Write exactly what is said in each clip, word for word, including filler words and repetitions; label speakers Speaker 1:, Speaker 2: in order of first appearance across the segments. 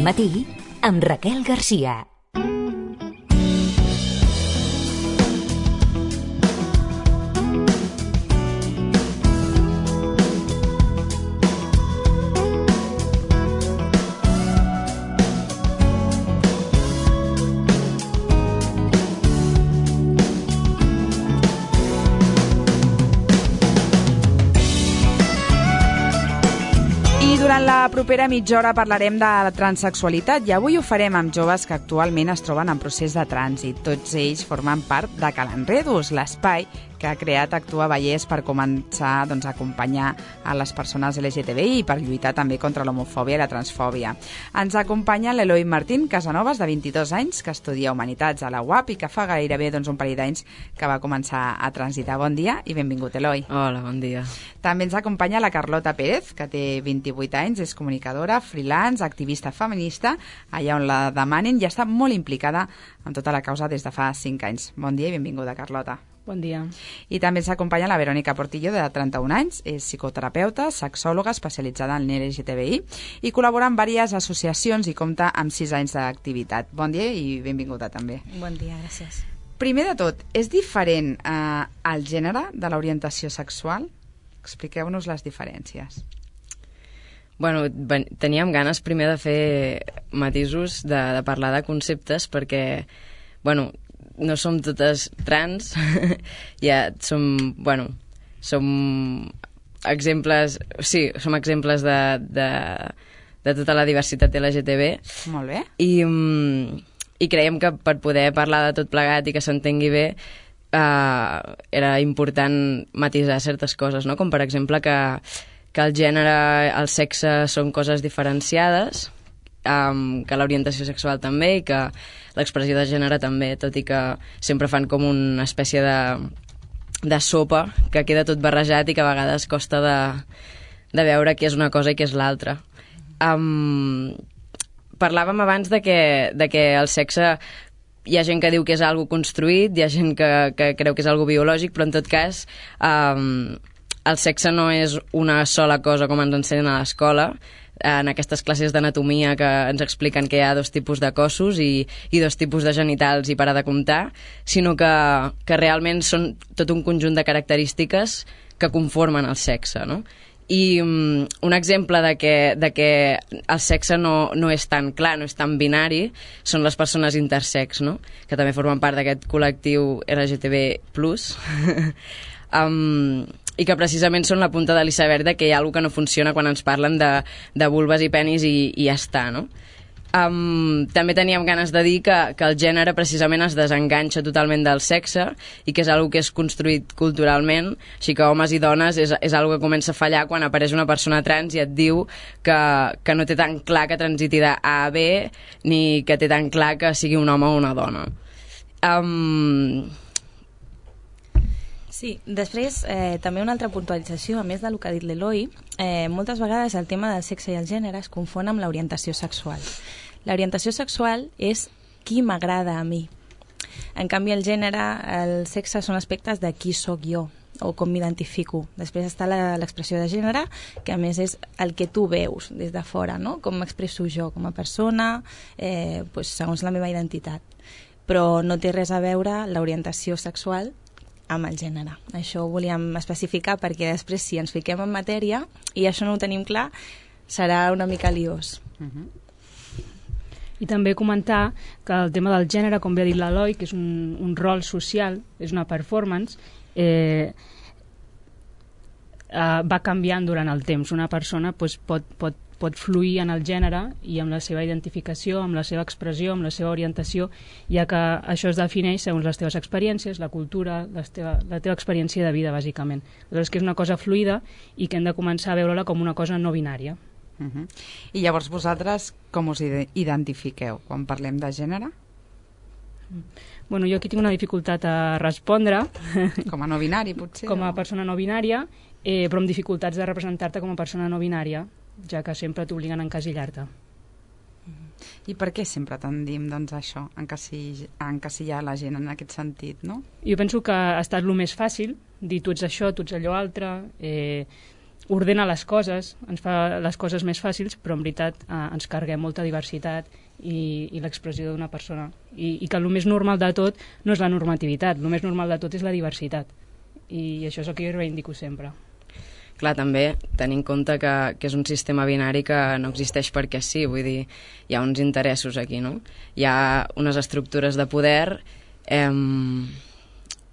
Speaker 1: matí amb Raquel Garcia.
Speaker 2: Durant la propera mitja hora parlarem de la transsexualitat i avui ho farem amb joves que actualment es troben en procés de trànsit. Tots ells formen part de Calenredos, l'espai que ha creat Actua Vallès per començar doncs, a acompanyar a les persones L G T B I i per lluitar també contra l'homofòbia i la transfòbia. Ens acompanya l'Eloi Martín Casanovas, de vint-i-dos anys, que estudia Humanitats a la U A P i que fa gairebé doncs, un parell d'anys que va començar a transitar. Bon dia i benvingut, Eloi.
Speaker 3: Hola, bon dia.
Speaker 2: També ens acompanya la Carlota Pérez, que té vint-i-vuit anys, és comunicadora, freelance, activista feminista, allà on la demanen i està molt implicada en tota la causa des de fa cinc anys. Bon dia i benvinguda, Carlota.
Speaker 4: Bon dia.
Speaker 2: I també ens acompanya la Verònica Portillo, de trenta-un anys, és psicoterapeuta, sexòloga especialitzada en L G T B I i col·labora en diverses associacions i compta amb sis anys d'activitat. Bon dia i benvinguda també.
Speaker 4: Bon dia, gràcies.
Speaker 2: Primer de tot, és diferent eh, el gènere de l'orientació sexual? Expliqueu-nos les diferències.
Speaker 3: Bueno, teníem ganes primer de fer matisos, de, de parlar de conceptes, perquè, bueno, no som totes trans, ja som, bueno, som exemples, sí, som exemples de, de, de tota la diversitat L G T B.
Speaker 2: Molt bé.
Speaker 3: I, i creiem que per poder parlar de tot plegat i que s'entengui bé, uh, era important matisar certes coses, no? Com per exemple que, que el gènere, el sexe són coses diferenciades, Um, que l'orientació sexual també i que l'expressió de gènere també, tot i que sempre fan com una espècie de, de sopa que queda tot barrejat i que a vegades costa de, de veure què és una cosa i què és l'altra. Um, parlàvem abans de que, de que el sexe, hi ha gent que diu que és algo construït, hi ha gent que, que creu que és algo biològic, però en tot cas um, el sexe no és una sola cosa com ens ensenyen a l'escola, en aquestes classes d'anatomia que ens expliquen que hi ha dos tipus de cossos i, i dos tipus de genitals i para de comptar, sinó que, que realment són tot un conjunt de característiques que conformen el sexe, no? I um, un exemple de que, de que el sexe no, no és tan clar, no és tan binari, són les persones intersex, no? Que també formen part d'aquest col·lectiu L G T B plus. um, i que precisament són la punta de l'iceberg de que hi ha alguna que no funciona quan ens parlen de, de vulves i penis i, i ja està, no? Um, també teníem ganes de dir que, que el gènere precisament es desenganxa totalment del sexe i que és algo que és construït culturalment, així que homes i dones és, és algo que comença a fallar quan apareix una persona trans i et diu que, que no té tan clar que transiti de A a B ni que té tan clar que sigui un home o una dona. Um...
Speaker 4: Sí, després eh, també una altra puntualització, a més del que ha dit l'Eloi, eh, moltes vegades el tema del sexe i el gènere es confon amb l'orientació sexual. L'orientació sexual és qui m'agrada a mi. En canvi el gènere, el sexe són aspectes de qui sóc jo o com m'identifico. Després està l'expressió de gènere, que a més és el que tu veus des de fora, no? Com m'expresso jo com a persona, eh, pues, segons la meva identitat. Però no té res a veure l'orientació sexual amb el gènere. Això ho volíem especificar perquè després si ens fiquem en matèria i això no ho tenim clar, serà una mica liós.
Speaker 2: Uh-huh.
Speaker 5: I també comentar que el tema del gènere, com bé ha dit l'Eloi, que és un, un rol social, és una performance, eh, eh, va canviant durant el temps. Una persona pues, pot, pot pot fluir en el gènere i amb la seva identificació, amb la seva expressió, amb la seva orientació, ja que això es defineix segons les teves experiències, la cultura, la teva, la teva experiència de vida, bàsicament. Aleshores, que és una cosa fluida i que hem de començar a veure-la com una cosa no binària.
Speaker 2: Uh-huh. I llavors vosaltres com us identifiqueu quan parlem de gènere?
Speaker 5: Bueno, jo aquí tinc una dificultat a respondre.
Speaker 2: Com a no binari, potser?
Speaker 5: Com a
Speaker 2: o...
Speaker 5: persona no binària, eh, però amb dificultats de representar-te com a persona no binària, ja que sempre t'obliguen a encasillar-te.
Speaker 2: I per què sempre tendim doncs, a això, a encasillar la gent en aquest sentit, no?
Speaker 5: Jo penso que ha estat el més fàcil, dir tu ets això, tu ets allò altre, eh, ordena les coses, ens fa les coses més fàcils, però en veritat eh, ens carreguem molta diversitat i, i l'expressió d'una persona. I, I que el més normal de tot no és la normativitat, el més normal de tot és la diversitat. I això és el que jo reivindico sempre.
Speaker 3: Clar, també tenint en compte que, que és un sistema binari que no existeix perquè sí, vull dir, hi ha uns interessos aquí, no? Hi ha unes estructures de poder eh,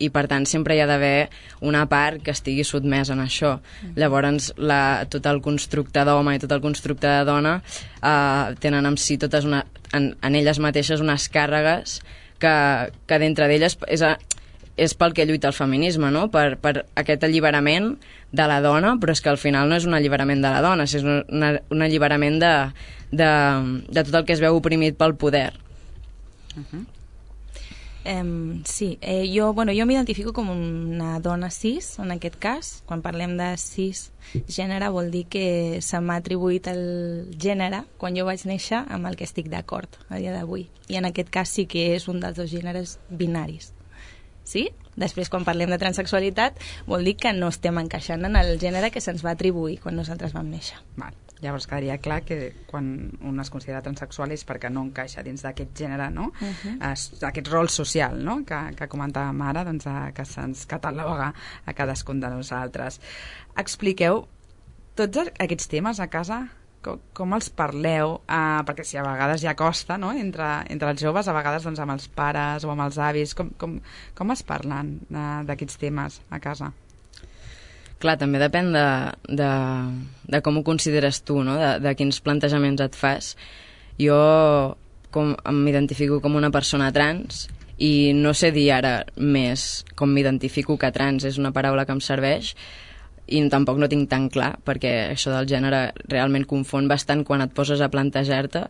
Speaker 3: i per tant sempre hi ha d'haver una part que estigui sotmesa en això. Mm. Llavors la, tot el constructe d'home i tot el constructe de dona eh, tenen en si totes una, en, en elles mateixes unes càrregues que, que dintre d'elles és a, és pel que lluita el feminisme, no? Per, per aquest alliberament de la dona, però és que al final no és un alliberament de la dona, és un, una, un alliberament de, de, de tot el que es veu oprimit pel poder.
Speaker 4: Uh-huh. Um, sí, eh, jo, bueno, jo m'identifico com una dona cis, en aquest cas. Quan parlem de cis gènere vol dir que se m'ha atribuït el gènere quan jo vaig néixer amb el que estic d'acord a dia d'avui. I en aquest cas sí que és un dels dos gèneres binaris. Sí? Després, quan parlem de transsexualitat, vol dir que no estem encaixant en el gènere que se'ns va atribuir quan nosaltres vam néixer.
Speaker 2: Val. Llavors quedaria clar que quan un es considera transsexual és perquè no encaixa dins d'aquest gènere, no? Uh-huh. Aquest rol social, no? Que, que comentàvem ara, doncs, que se'ns cataloga a cadascun de nosaltres. Expliqueu tots aquests temes a casa, com, com els parleu, uh, perquè si a vegades ja costa, no?, entre, entre els joves, a vegades doncs, amb els pares o amb els avis, com, com, com es parlen uh, d'aquests temes a casa?
Speaker 3: Clar, també depèn de, de, de com ho consideres tu, no?, de, de quins plantejaments et fas. Jo com, m'identifico com una persona trans i no sé dir ara més com m'identifico que trans, és una paraula que em serveix, i tampoc no tinc tan clar, perquè això del gènere realment confon bastant quan et poses a plantejar-te.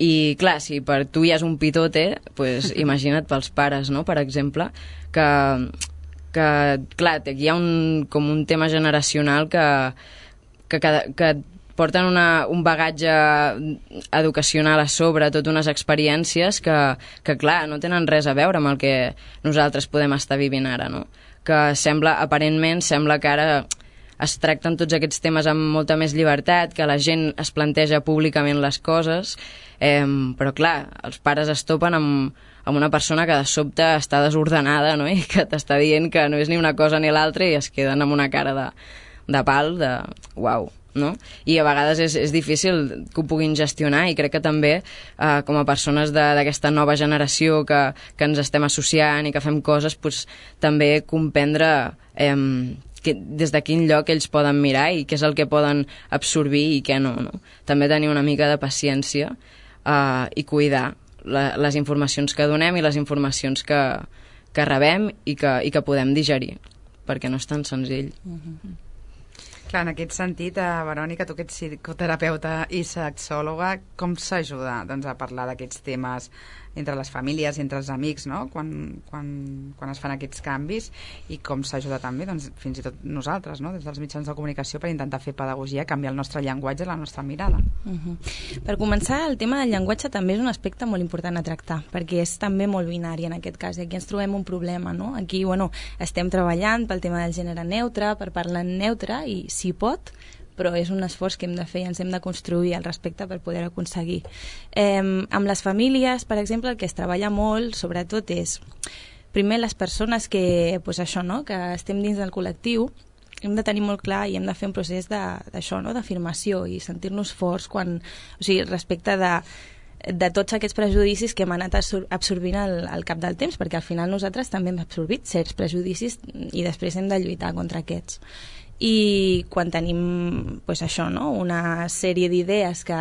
Speaker 3: I clar, si per tu hi és un pitote, pues, imagina't pels pares, no?, per exemple, que, que clar, aquí hi ha un, com un tema generacional que, que, que, que porten una, un bagatge educacional a sobre, tot unes experiències que, que, clar, no tenen res a veure amb el que nosaltres podem estar vivint ara, no? Que sembla, aparentment, sembla que ara es tracten tots aquests temes amb molta més llibertat, que la gent es planteja públicament les coses, eh, però clar, els pares es topen amb, amb una persona que de sobte està desordenada, no?, i que t'està dient que no és ni una cosa ni l'altra i es queden amb una cara de, de pal, de uau, no? I a vegades és, és difícil que ho puguin gestionar i crec que també eh, com a persones d'aquesta nova generació que, que ens estem associant i que fem coses, pues, també comprendre eh, que, des de quin lloc ells poden mirar i què és el que poden absorbir i què no, no? També tenir una mica de paciència eh, i cuidar la, les informacions que donem i les informacions que, que rebem i que, i que podem digerir, perquè no és tan senzill.
Speaker 2: Mm-hmm. Clar, en aquest sentit, eh, Verònica, tu que ets psicoterapeuta i sexòloga, com s'ajuda, doncs, a parlar d'aquests temes entre les famílies, entre els amics, no?, quan, quan, quan es fan aquests canvis, i com s'ajuda també, doncs, fins i tot nosaltres, no?, des dels mitjans de comunicació, per intentar fer pedagogia, canviar el nostre llenguatge i la nostra mirada.
Speaker 4: Uh-huh. Per començar, el tema del llenguatge també és un aspecte molt important a tractar, perquè és també molt binari en aquest cas, i aquí ens trobem un problema, no? Aquí, bueno, estem treballant pel tema del gènere neutre, per parlar en neutre, i si pot, però és un esforç que hem de fer i ens hem de construir al respecte per poder aconseguir. Eh, amb les famílies, per exemple, el que es treballa molt, sobretot, és primer les persones que, pues això, no?, que estem dins del col·lectiu, hem de tenir molt clar i hem de fer un procés d'això, no?, d'afirmació i sentir-nos forts quan, o sigui, respecte de de tots aquests prejudicis que hem anat absorbint al, al cap del temps, perquè al final nosaltres també hem absorbit certs prejudicis i després hem de lluitar contra aquests. I quan tenim, pues això, no?, una sèrie d'idees que,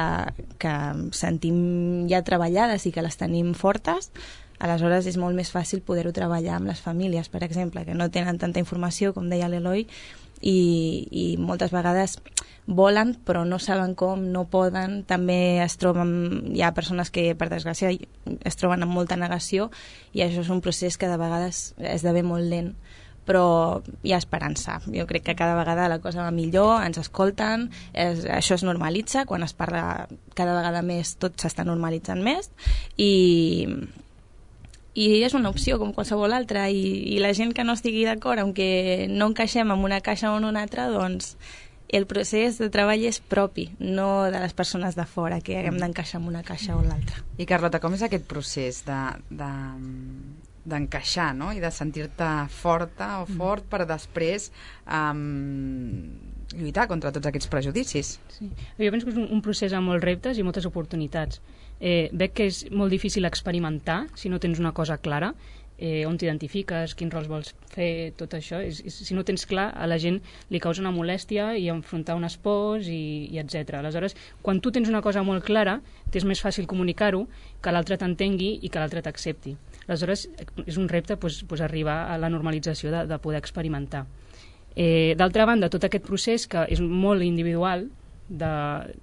Speaker 4: que sentim ja treballades i que les tenim fortes, aleshores és molt més fàcil poder-ho treballar amb les famílies, per exemple, que no tenen tanta informació, com deia l'Eloi, i, i moltes vegades volen però no saben com, no poden, també es troben, hi ha persones que per desgràcia es troben amb molta negació i això és un procés que de vegades esdevé molt lent, però hi ha esperança. Jo crec que cada vegada la cosa va millor, ens escolten, és, això es normalitza, quan es parla cada vegada més tot s'està normalitzant més i, i és una opció com qualsevol altra i, i la gent que no estigui d'acord, aunque no encaixem en una caixa o en una altra, doncs el procés de treball és propi, no de les persones de fora, que haguem d'encaixar en una caixa o l'altra.
Speaker 2: I Carlota, com és aquest procés de, de, d'encaixar, no? I de sentir-te forta o fort per després um, lluitar contra tots aquests prejudicis?
Speaker 5: Sí. Jo penso que és un, un procés amb molts reptes i moltes oportunitats. Eh, veig que és molt difícil experimentar si no tens una cosa clara, eh, on t'identifiques, quins rols vols fer, tot això. És, és, si no tens clar, a la gent li causa una molèstia i enfrontar unes pors i, i etcètera. Aleshores, quan tu tens una cosa molt clara, t'és més fàcil comunicar-ho, que l'altre t'entengui i que l'altre t'accepti. Aleshores, és un repte pues, pues, arribar a la normalització de, de poder experimentar. Eh, D'altra banda, tot aquest procés, que és molt individual, de,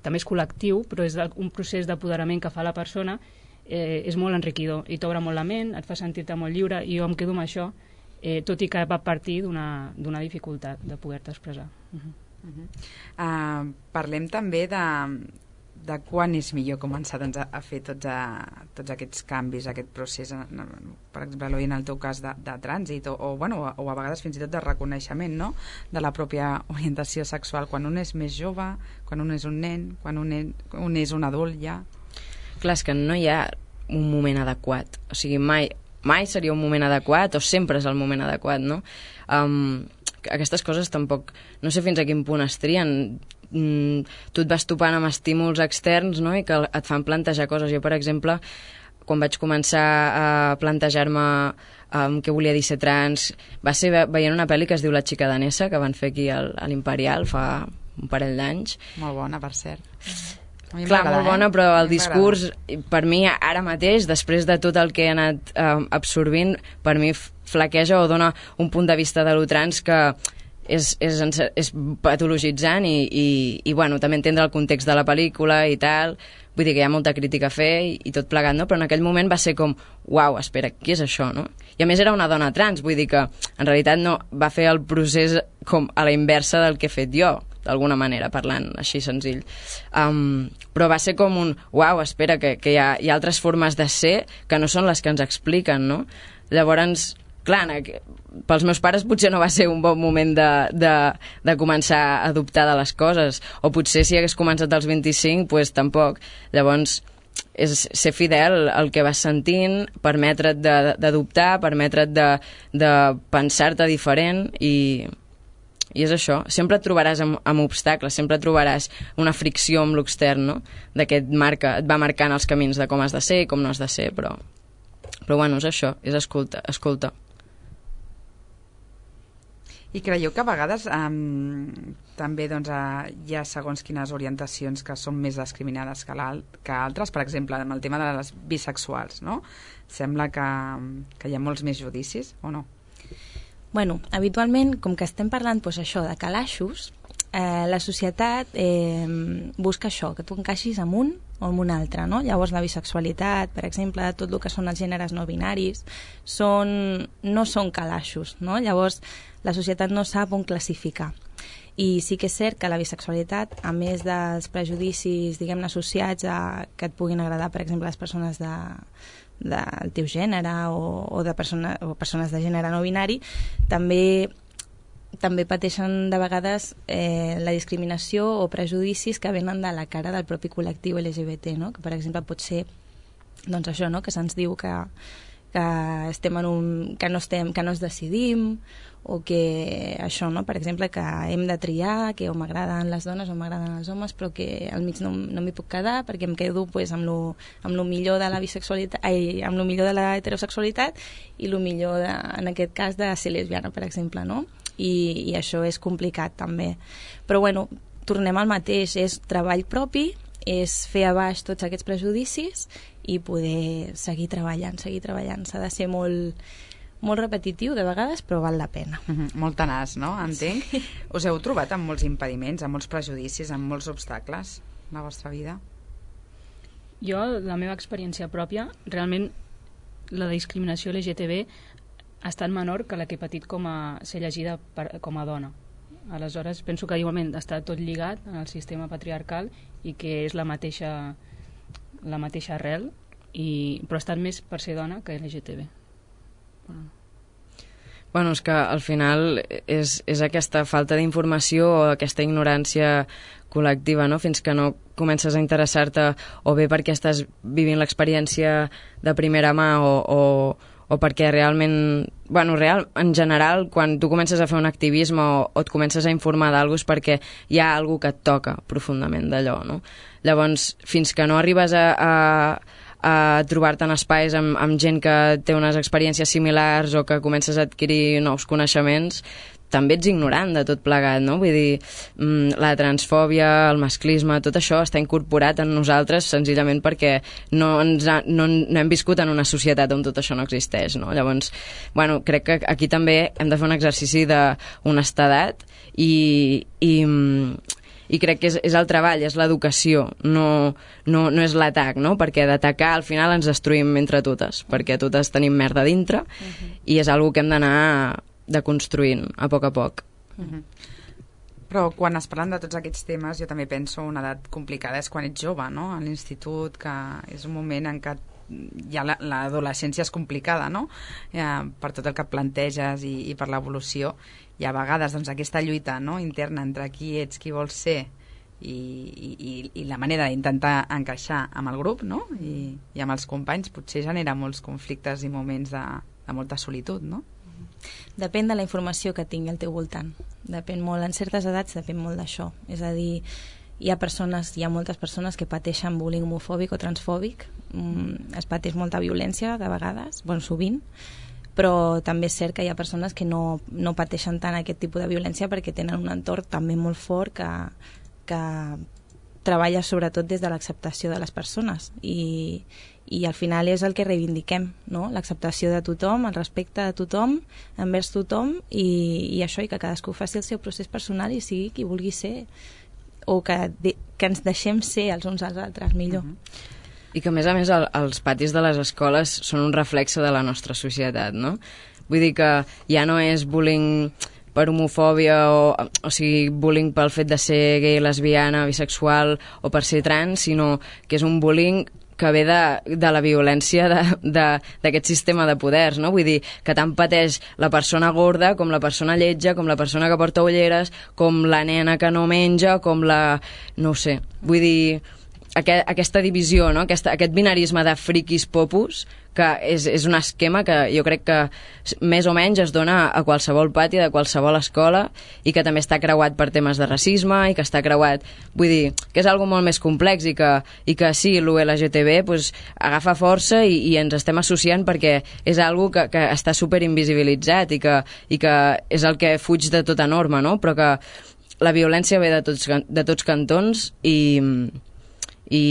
Speaker 5: també és col·lectiu, però és un procés d'apoderament que fa la persona, eh, és molt enriquidor i t'obre molt la ment, et fa sentir-te molt lliure, i jo em quedo amb això, eh, tot i que va partir d'una d'una dificultat de poder-te expressar. Uh -huh.
Speaker 2: Uh -huh. Uh, parlem també de, de quan és millor començar doncs, a, a fer tots, a, tots aquests canvis, aquest procés, per exemple, Eloi, en el teu cas de, de trànsit o, o, bueno, o, o a vegades fins i tot de reconeixement, no?, de la pròpia orientació sexual, quan un és més jove, quan un és un nen, quan un és un, és un adult ja.
Speaker 3: Clar, és que no hi ha un moment adequat, o sigui, mai, mai seria un moment adequat o sempre és el moment adequat, no? Um, aquestes coses tampoc, no sé fins a quin punt es trien. Mm, tu et vas topant amb estímuls externs, no?, i que et fan plantejar coses. Jo, per exemple, quan vaig començar a plantejar-me um, què volia dir ser trans, va ser ve veient una pel·li que es diu La xica danesa, que van fer aquí al, a l'Imperial fa un parell d'anys.
Speaker 2: Molt bona, per cert.
Speaker 3: Clar, molt bona, eh? Però el discurs, per mi, ara mateix, després de tot el que he anat eh, absorbint, per mi flaqueja o dona un punt de vista de lo trans que és, és, és patologitzant i, i, i, bueno, també entendre el context de la pel·lícula i tal. Vull dir que hi ha molta crítica a fer i, i tot plegat, no? Però en aquell moment va ser com, uau, espera, què és això, no? I a més era una dona trans, vull dir que en realitat no va fer el procés com a la inversa del que he fet jo, d'alguna manera, parlant així senzill. Um, però va ser com un, uau, espera, que, que hi, ha, hi ha altres formes de ser que no són les que ens expliquen, no? Llavors, clar, pels meus pares potser no va ser un bon moment de, de, de començar a dubtar de les coses, o potser si hagués començat als vint-i-cinc, pues tampoc. Llavors, és ser fidel al que vas sentint, permetre't de, de dubtar, permetre't de, de pensar-te diferent i... I és això, sempre et trobaràs amb, amb obstacles, sempre trobaràs una fricció amb l'extern, no?, de que et, marca, et va marcant els camins de com has de ser i com no has de ser, però, però bueno, és això, és escolta, escolta.
Speaker 2: I creieu que a vegades um, també doncs, uh, hi ha segons quines orientacions que són més discriminades que, que altres, per exemple, amb el tema de les bisexuals, no? Sembla que, que hi ha molts més judicis, o no?
Speaker 4: Bueno, habitualment, com que estem parlant doncs, això de calaixos, eh, la societat eh, busca això, que tu encaixis amb un o amb un altre, no? Llavors la bisexualitat, per exemple, tot el que són els gèneres no binaris, són, no són calaixos, no? Llavors la societat no sap on classificar. I sí que és cert que la bisexualitat, a més dels prejudicis, diguem-ne, associats a que et puguin agradar, per exemple, les persones de del teu gènere o, o, de persona, o persones de gènere no binari, també també pateixen de vegades eh, la discriminació o prejudicis que venen de la cara del propi col·lectiu L G B T, no? Que per exemple pot ser doncs això, no? Que se'ns diu que, que estem en un, que no estem, que no es decidim, o que això, no? Per exemple, que hem de triar, que o m'agraden les dones o m'agraden els homes, però que al mig no, no m'hi puc quedar perquè em quedo pues, amb, lo, amb lo millor de la bisexualitat, ai, amb lo millor de la heterosexualitat i lo millor, de, en aquest cas, de ser lesbiana, per exemple, no? I, i això és complicat també. Però bueno, tornem al mateix, és treball propi, és fer a baix tots aquests prejudicis i poder seguir treballant, seguir treballant. S'ha de ser molt, molt repetitiu de vegades, però val la pena.
Speaker 2: Mm-hmm. Molt tenaç, no? Entenc. Sí. Us heu trobat amb molts impediments, amb molts prejudicis, amb molts obstacles en la vostra vida?
Speaker 5: Jo, la meva experiència pròpia, realment la discriminació L G T B ha estat menor que la que he patit com a ser llegida per, com a dona. Aleshores, penso que igualment està tot lligat en el sistema patriarcal i que és la mateixa, la mateixa arrel, i, però ha estat més per ser dona que L G T B. Bueno.
Speaker 3: Bueno, és que al final és, és aquesta falta d'informació o aquesta ignorància col·lectiva, no? Fins que no comences a interessar-te o bé perquè estàs vivint l'experiència de primera mà o, o, o perquè realment, bueno, real, en general, quan tu comences a fer un activisme o, o et comences a informar d'algú és perquè hi ha alguna que et toca profundament d'allò, no? Llavors, fins que no arribes a, a, a trobar-te en espais amb, amb gent que té unes experiències similars o que comences a adquirir nous coneixements, també ets ignorant de tot plegat, no? Vull dir, la transfòbia, el masclisme, tot això està incorporat en nosaltres senzillament perquè no, ens ha, no, no hem viscut en una societat on tot això no existeix, no? Llavors, bueno, crec que aquí també hem de fer un exercici d'honestedat i, i, i crec que és, és el treball, és l'educació, no, no, no és l'atac, no? Perquè d'atacar al final ens destruïm entre totes, perquè totes tenim merda dintre uh-huh. i és algo que hem d'anar deconstruint a poc a poc.
Speaker 2: Uh-huh. Però quan es parlen de tots aquests temes, jo també penso una edat complicada és quan ets jove, no? A l'institut, que és un moment en què ja l'adolescència és complicada, no? Ja, per tot el que planteges i, i per l'evolució, i a vegades doncs, aquesta lluita, no? interna entre qui ets, qui vols ser i, i, i la manera d'intentar encaixar amb el grup, no? I, i amb els companys potser genera molts conflictes i moments de, de molta solitud, no?
Speaker 4: Depèn de la informació que tingui al teu voltant. Depèn molt, en certes edats depèn molt d'això. És a dir, hi ha persones, hi ha moltes persones que pateixen bullying homofòbic o transfòbic. Mm, es pateix molta violència de vegades, bon, sovint, però també és cert que hi ha persones que no, no pateixen tant aquest tipus de violència perquè tenen un entorn també molt fort que, que treballa sobretot des de l'acceptació de les persones i, i al final és el que reivindiquem, no? L'acceptació de tothom, el respecte de tothom envers tothom i, i això, i que cadascú faci el seu procés personal i sigui qui vulgui ser o que, de, que ens deixem ser els uns als altres millor.
Speaker 3: Uh-huh. I que a més a més el, els patis de les escoles són un reflexe de la nostra societat, no? Vull dir que ja no és bullying per homofòbia o, o sigui, bullying pel fet de ser gay, lesbiana, bisexual o per ser trans, sinó que és un bullying que ve de, de la violència d'aquest sistema de poders, no? Vull dir, que tant pateix la persona gorda com la persona lletja, com la persona que porta ulleres, com la nena que no menja, com la... no ho sé. Vull dir, aquest, aquesta divisió, no? Aquesta, aquest binarisme de friquis popus, que és, és un esquema que jo crec que més o menys es dona a qualsevol pati de qualsevol escola i que també està creuat per temes de racisme i que està creuat, vull dir, que és algo molt més complex i que, i que sí, l'U L G T B pues, agafa força i, i ens estem associant perquè és algo que, que està super invisibilitzat i que, i que és el que fuig de tota norma, no? Però que la violència ve de tots, de tots cantons i... i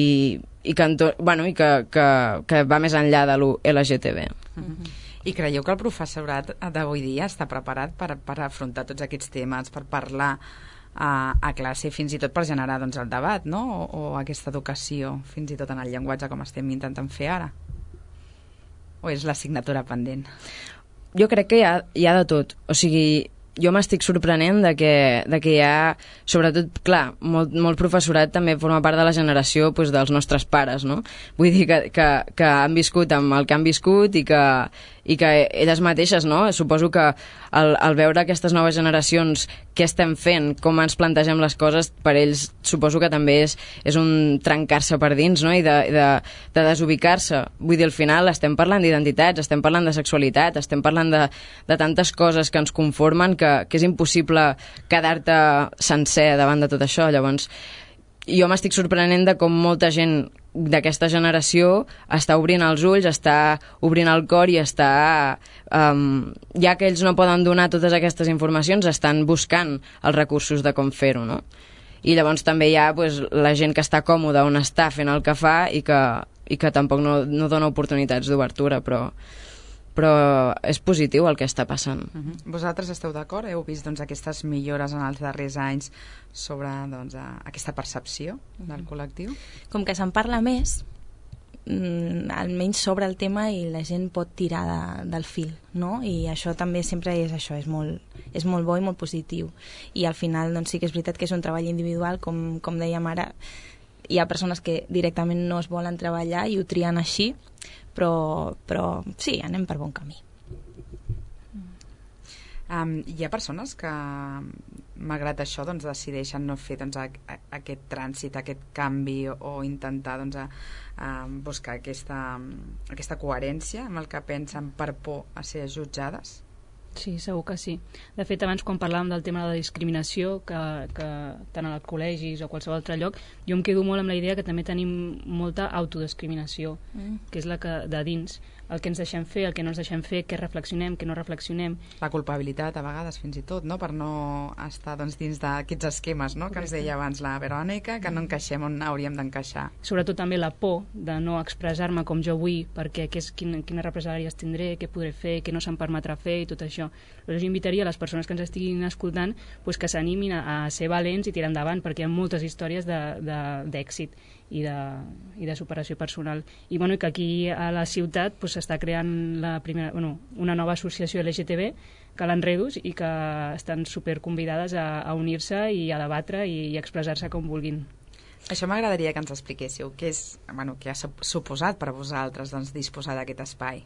Speaker 3: i, que, bueno, i que, que, que va més enllà de l'U L G T B.
Speaker 2: Uh-huh. I creieu que el professorat d'avui dia està preparat per, per afrontar tots aquests temes, per parlar a, a classe, fins i tot per generar doncs, el debat, no? O, o aquesta educació, fins i tot en el llenguatge com estem intentant fer ara? O és l'assignatura pendent?
Speaker 3: Jo crec que hi ha, hi ha de tot. O sigui, jo m'estic sorprenent de que, de que hi ha, sobretot, clar, molt, molt professorat també forma part de la generació pues, dels nostres pares, no? Vull dir que, que, que han viscut amb el que han viscut i que, i que elles mateixes, no? Suposo que al, al veure aquestes noves generacions què estem fent, com ens plantegem les coses, per ells suposo que també és, és un trencar-se per dins, no? I de, de, de desubicar-se. Vull dir, al final estem parlant d'identitats, estem parlant de sexualitat, estem parlant de, de tantes coses que ens conformen que, que és impossible quedar-te sencer davant de tot això. Llavors, jo m'estic sorprenent de com molta gent d'aquesta generació està obrint els ulls, està obrint el cor i està... Um, ja que ells no poden donar totes aquestes informacions, estan buscant els recursos de com fer-ho, no? I llavors també hi ha pues, la gent que està còmoda on està fent el que fa i que, i que tampoc no, no dona oportunitats d'obertura, però... però és positiu el que està passant.
Speaker 2: Uh-huh. Vosaltres esteu d'acord? Heu vist doncs, aquestes millores en els darrers anys sobre doncs, aquesta percepció del col·lectiu?
Speaker 4: Com que se'n parla més, mm, almenys sobre el tema i la gent pot tirar de, del fil, no? I això també sempre és això, és molt, és molt bo i molt positiu. I al final doncs, sí que és veritat que és un treball individual, com, com dèiem ara, hi ha persones que directament no es volen treballar i ho trien així, però, però sí, anem per bon camí.
Speaker 2: Um, hi ha persones que, malgrat això, doncs, decideixen no fer doncs, a, a, aquest trànsit, aquest canvi, o, o intentar doncs, a, a buscar aquesta, aquesta coherència amb el que pensen per por a ser jutjades?
Speaker 5: Sí, segur que sí. De fet, abans quan parlàvem del tema de la discriminació, que, que tant als col·legis o qualsevol altre lloc, jo em quedo molt amb la idea que també tenim molta autodiscriminació, mm. que és la que de dins, el que ens deixem fer, el que no ens deixem fer, què reflexionem, què no reflexionem.
Speaker 2: La culpabilitat, a vegades, fins i tot, no? Per no estar doncs, dins d'aquests esquemes, no? Que ens deia abans la Verònica, que no encaixem on hauríem d'encaixar.
Speaker 5: Sobretot també la por de no expressar-me com jo vull, perquè què és, quin, quines represàlies tindré, què podré fer, què no se'm permetrà fer i tot això. Llavors jo invitaria a les persones que ens estiguin escoltant pues, que s'animin a, a ser valents i tirar endavant, perquè hi ha moltes històries d'èxit i de, i de superació personal. I, bueno, i que aquí a la ciutat s'està pues, creant la primera, bueno, una nova associació L G T B, Calen Redus, i que estan super convidades a, a unir-se i a debatre i, i expressar-se com vulguin.
Speaker 2: Això m'agradaria que ens expliquéssiu. Què és, bueno, què ha suposat per vosaltres doncs, disposar d'aquest espai?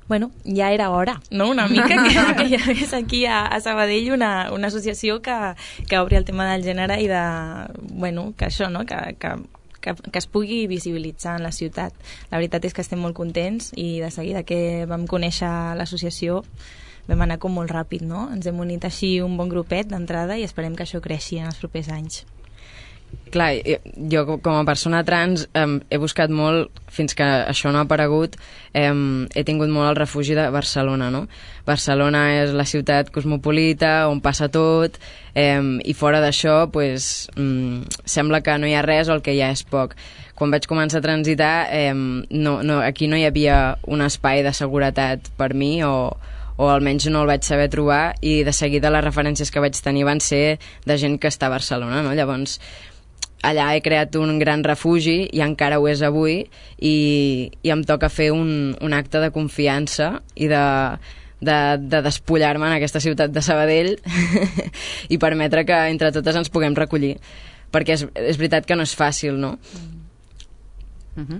Speaker 4: Bueno, ja era hora, no?, una mica, que, que hi hagués aquí a, a Sabadell una, una associació que, que obri el tema del gènere i de, bueno, que això, no?, que, que, que, que es pugui visibilitzar en la ciutat. La veritat és que estem molt contents i de seguida que vam conèixer l'associació vam anar com molt ràpid, no? Ens hem unit així un bon grupet d'entrada i esperem que això creixi en els propers anys.
Speaker 3: Clar, jo com a persona trans eh, he buscat molt, fins que això no ha aparegut, eh, he tingut molt el refugi de Barcelona, no? Barcelona és la ciutat cosmopolita, on passa tot, eh, i fora d'això, pues, mm, sembla que no hi ha res o el que hi ha és poc. Quan vaig començar a transitar, eh, no, no, aquí no hi havia un espai de seguretat per mi, o, o almenys no el vaig saber trobar, i de seguida les referències que vaig tenir van ser de gent que està a Barcelona, no? Llavors, allà he creat un gran refugi i encara ho és avui, i, i em toca fer un, un acte de confiança i de, de, de despullar-me en aquesta ciutat de Sabadell i permetre que entre totes ens puguem recollir, perquè és, és veritat que no és fàcil, no?
Speaker 2: Mm. Uh-huh.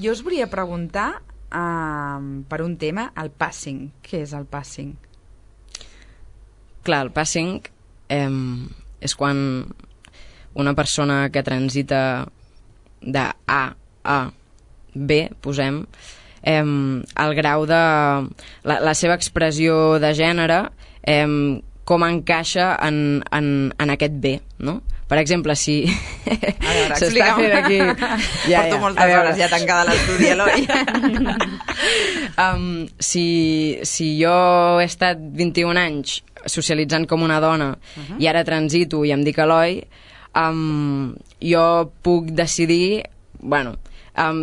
Speaker 2: Jo us volia preguntar uh, per un tema, el passing. Què és el passing?
Speaker 3: Clar, el passing eh, és quan una persona que transita de A a B, posem, eh, el grau de... La, la seva expressió de gènere, eh, com encaixa en, en, en aquest B, no? Per exemple, si...
Speaker 2: A veure,
Speaker 3: s'està fent aquí...
Speaker 2: Ja, Porto ja, moltes hores ja tancada a l'estudi, Eloi.
Speaker 3: um, si, si jo he estat vint-i-un anys socialitzant com una dona, uh-huh, i ara transito i em dic Eloi, Um, jo puc decidir, bueno, um,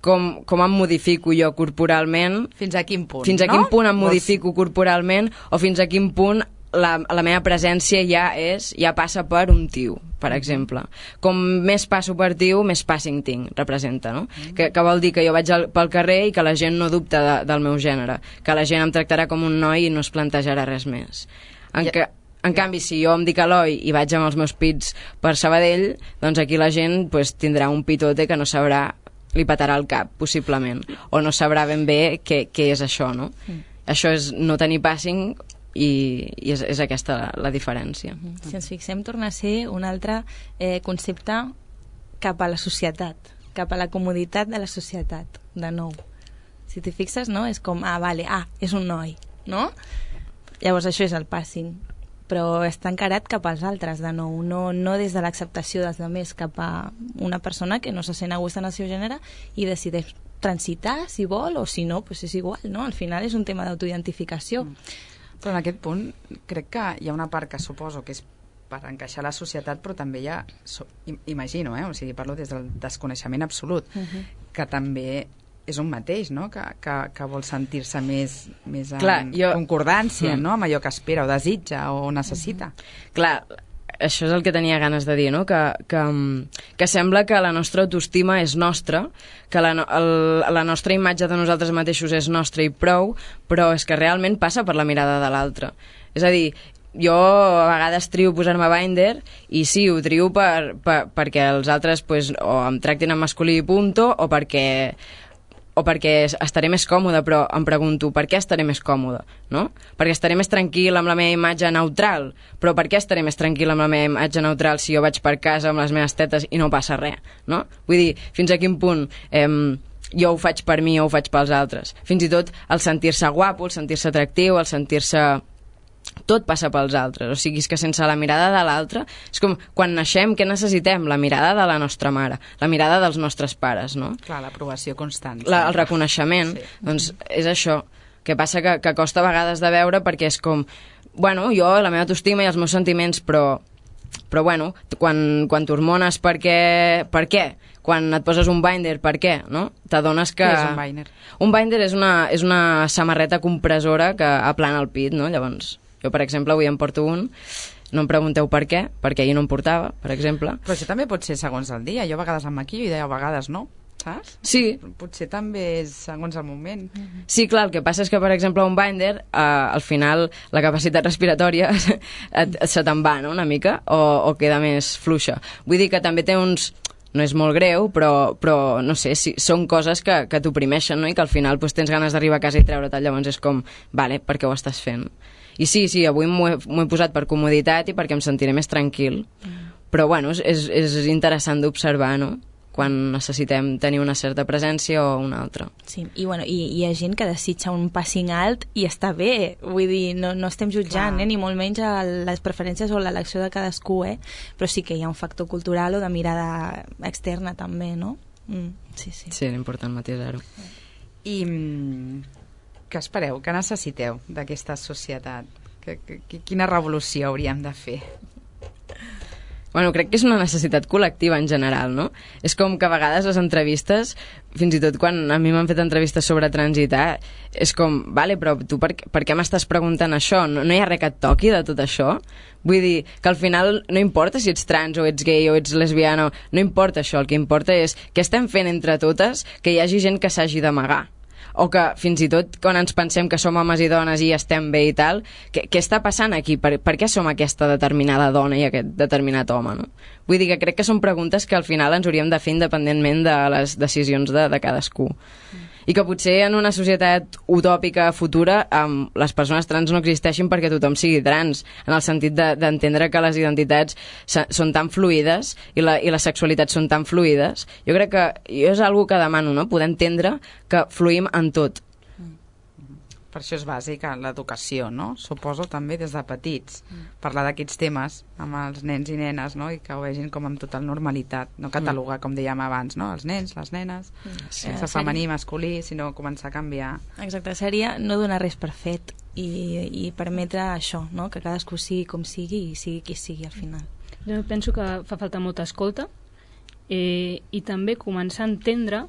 Speaker 3: com, com em modifico jo corporalment.
Speaker 2: Fins a quin punt,
Speaker 3: Fins a
Speaker 2: no?
Speaker 3: quin punt em modifico corporalment, o fins a quin punt la, la meva presència ja és, ja passa per un tio, per exemple. Com més passo per tio, més passing tinc, representa, no? Mm. Que, que vol dir que jo vaig al, pel carrer i que la gent no dubta de, del meu gènere, que la gent em tractarà com un noi i no es plantejarà res més. En, ja. que, en canvi, si jo em dic Eloi i vaig amb els meus pits per Sabadell, doncs aquí la gent pues, tindrà un pitote que no sabrà, li patarà el cap, possiblement, o no sabrà ben bé què, què és això, no? Mm. Això és no tenir passing, i, i és, és aquesta la, la diferència.
Speaker 4: Mm. Si ens fixem, torna a ser un altre eh, concepte cap a la societat, cap a la comoditat de la societat, de nou. Si t'hi fixes, no? És com, ah, vale, ah, és un noi, no? Llavors això és el passing, però està encarat cap als altres, de nou, no, no des de l'acceptació dels altres, cap a una persona que no se sent a gust en el seu gènere i decideix transitar, si vol, o si no, pues és igual, no? Al final és un tema d'autoidentificació.
Speaker 2: Mm. Però en aquest punt crec que hi ha una part que suposo que és per encaixar a la societat, però també hi ha, imagino, eh? O sigui, parlo des del desconeixement absolut, uh-huh, que també és un mateix, no? Que, que, que vol sentir-se més, més en Clar, jo... concordància, mm. no? Amb allò que espera o desitja o necessita.
Speaker 3: Mm-hmm. Clar, això és el que tenia ganes de dir, no? Que, que, que sembla que la nostra autoestima és nostra, que la, el, la nostra imatge de nosaltres mateixos és nostra i prou, però és que realment passa per la mirada de l'altre. És a dir, jo a vegades trio posar-me binder i sí, ho trio per, per, perquè els altres pues, o em tractin en masculí i punto, o perquè o perquè estaré més còmode, però em pregunto per què estaré més còmode, no? Perquè estaré més tranquil amb la meva imatge neutral, però per què estaré més tranquil amb la meva imatge neutral si jo vaig per casa amb les meves tetes i no passa res, no? Vull dir, fins a quin punt eh, jo ho faig per mi o ho faig pels altres. Fins i tot el sentir-se guapo, el sentir-se atractiu, el sentir-se... tot passa pels altres, o sigui, és que sense la mirada de l'altre, és com quan naixem, què necessitem? La mirada de la nostra mare, la mirada dels nostres pares, no?
Speaker 2: Clar, l'aprovació constant.
Speaker 3: La, el reconeixement, sí. Doncs és això, que passa que, que costa a vegades de veure perquè és com, bueno, jo, la meva autoestima i els meus sentiments, però, però bueno, quan, quan t'hormones per què, per què? Quan et poses un binder, per què? No? T'adones que...
Speaker 2: Què és un binder?
Speaker 3: Un binder és una, és una samarreta compressora que aplana el pit, no? Llavors... Jo, per exemple, avui em porto un, no em pregunteu per què, perquè ahir no em portava, per exemple.
Speaker 2: Però això també pot ser segons el dia. Jo a vegades em maquillo i a vegades no, saps?
Speaker 3: Sí.
Speaker 2: Potser també és segons el moment.
Speaker 3: Sí, clar, el que passa és que, per exemple, un binder, eh, al final la capacitat respiratòria et, se te'n va, no?, una mica, o, o queda més fluixa. Vull dir que també té uns... No és molt greu, però, però no sé, si, són coses que, que t'oprimeixen, no?, i que al final pues, tens ganes d'arribar a casa i treure-te'l, llavors és com, vale, per què ho estàs fent? I sí, sí, avui m'ho he, m'ho he posat per comoditat i perquè em sentiré més tranquil. Mm. Però, bueno, és, és interessant d'observar, no?, quan necessitem tenir una certa presència o una altra.
Speaker 4: Sí, i, bueno, i hi ha gent que desitja un passing alt i està bé, vull dir, no, no estem jutjant, eh, ni molt menys a les preferències o l'elecció de cadascú, eh? Però sí que hi ha un factor cultural o de mirada externa també, no? Mm, sí, sí.
Speaker 3: Sí, era important matisar-ho.
Speaker 2: I què espereu, què necessiteu d'aquesta societat? Que, que, quina revolució hauríem de fer?
Speaker 3: Bueno, crec que és una necessitat col·lectiva en general, no? És com que a vegades les entrevistes, fins i tot quan a mi m'han fet entrevistes sobre transitar, és com, vale, però tu per, per què m'estàs preguntant això? No, no hi ha res que et toqui de tot això? Vull dir que al final no importa si ets trans o ets gay o ets lesbiana, no importa això, el que importa és què estem fent entre totes que hi hagi gent que s'hagi d'amagar. O que fins i tot quan ens pensem que som homes i dones i estem bé i tal, què, què està passant aquí? Per, per què som aquesta determinada dona i aquest determinat home, no? Vull dir que crec que són preguntes que al final ens hauríem de fer independentment de les decisions de, de cadascú. Mm. I que potser en una societat utòpica futura um, les persones trans no existeixin perquè tothom sigui trans, en el sentit de, d'entendre que les identitats són tan fluides i la, i les sexualitats són tan fluides. Jo crec que jo és algo que demano, no?, poder entendre que fluïm en tot.
Speaker 2: Per això és bàsic l'educació, no? Suposo també des de petits. Mm. Parlar d'aquests temes amb els nens i nenes, no?, i que ho vegin com amb total normalitat. No catalogar, mm. com dèiem abans, no?, els nens, les nenes, mm. sense sí. femení, masculí, sinó començar a canviar.
Speaker 4: Exacte, seria no donar res per fet i, i permetre això, no?, que cadascú sigui com sigui i sigui qui sigui al final.
Speaker 5: Jo penso que fa falta molta escolta eh, i també començar a entendre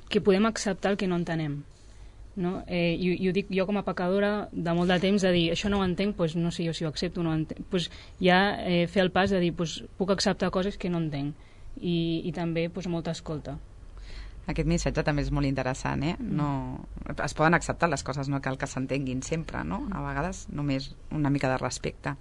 Speaker 5: que podem acceptar el que no entenem. No? Eh, i, i ho dic jo com a pecadora de molt de temps de dir, això no ho entenc, doncs no sé jo si ho accepto o no ho entenc, doncs ja eh, fer el pas de dir, doncs puc acceptar coses que no entenc i, i també doncs, molta escolta.
Speaker 2: Aquest missatge també és molt interessant, eh? No, es poden acceptar les coses, no cal que s'entenguin sempre, no? A vegades només una mica de respecte.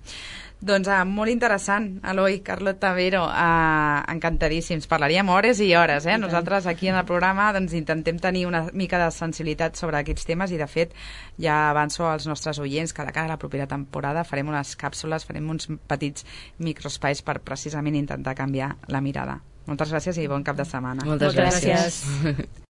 Speaker 2: Doncs ah, molt interessant, Eloi, Carlota, Vero, ah, encantadíssims. Parlaríem hores i hores, eh? Nosaltres aquí en el programa doncs, intentem tenir una mica de sensibilitat sobre aquests temes i de fet ja avanço als nostres oients que de cara a la propera temporada farem unes càpsules, farem uns petits microespais per precisament intentar canviar la mirada. Moltes gràcies i bon cap de setmana.
Speaker 3: Moltes, Moltes gràcies. gràcies.